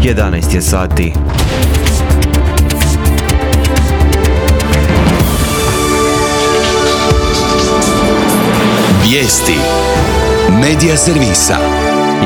11 je sati. Vijesti Medija servisa.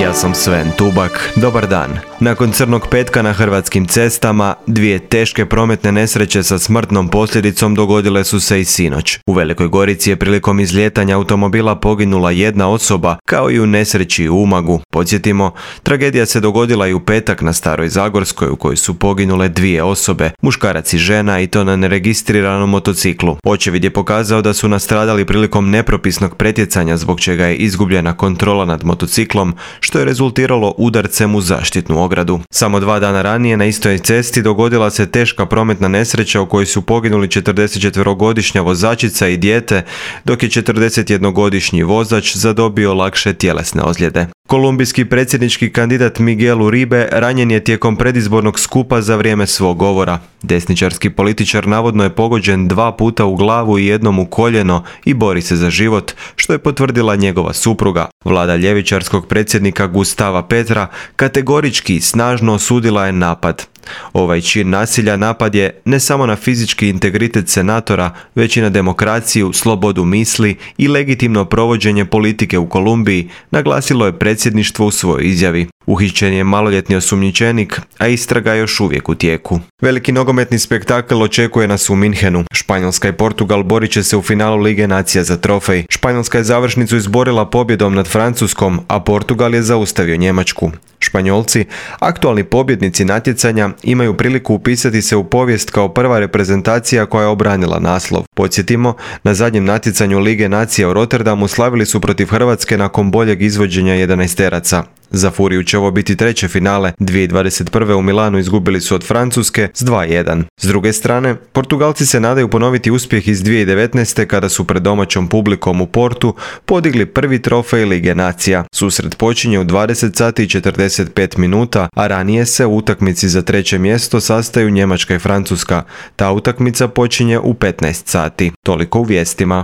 Ja sam Sven Tubak. Dobar dan. Nakon crnog petka na hrvatskim cestama, dvije teške prometne nesreće sa smrtnom posljedicom dogodile su se i sinoć. U Velikoj Gorici je prilikom izlijetanja automobila poginula jedna osoba, kao i u nesreći u Umagu. Podsjetimo, tragedija se dogodila i u petak na Staroj Zagorskoj, u kojoj su poginule dvije osobe, muškarac i žena, i to na neregistriranom motociklu. Očevid je pokazao da su nastradali prilikom nepropisnog pretjecanja, zbog čega je izgubljena kontrola nad motociklom, što je rezultiralo udarcem u zaštitnu ogradu. Samo 2 dana ranije na istoj cesti dogodila se teška prometna nesreća u kojoj su poginuli 44-godišnja vozačica i dijete, dok je 41-godišnji vozač zadobio lakše tjelesne ozljede. Kolumbijski predsjednički kandidat Miguel Uribe ranjen je tijekom predizbornog skupa za vrijeme svog govora. Desničarski političar navodno je pogođen 2 puta u glavu i jednom u koljeno i bori se za život, što je potvrdila njegova supruga. Vlada ljevičarskog predsjednika Gustava Petra kategorički i snažno osudila je napad. Ovaj čin nasilja napad je ne samo na fizički integritet senatora, već i na demokraciju, slobodu misli i legitimno provođenje politike u Kolumbiji, naglasilo je predsjedništvo u svojoj izjavi. Uhićen je maloljetni osumnjičenik, a istraga je još uvijek u tijeku. Veliki nogometni spektakl očekuje nas u Minhenu. Španjolska i Portugal borit će se u finalu Lige nacija za trofej. Španjolska je završnicu izborila pobjedom nad Francuskom, a Portugal je zaustavio Njemačku. Španjolci, aktualni pobjednici natjecanja, imaju priliku upisati se u povijest kao prva reprezentacija koja je obranila naslov. Podsjetimo, na zadnjem natjecanju Lige nacija u Rotterdamu slavili su protiv Hrvatske nakon boljeg izvođenja 11-teraca. Za Furiju će ovo biti treće finale. 2021. u Milanu izgubili su od Francuske s 2:1. S druge strane, Portugalci se nadaju ponoviti uspjeh iz 2019. kada su pred domaćom publikom u Portu podigli prvi trofej Lige nacija. Susret počinje u 20 sati i 45 minuta, a ranije se u utakmici za treće mjesto sastaju Njemačka i Francuska. Ta utakmica počinje u 15 sati. Toliko u vijestima.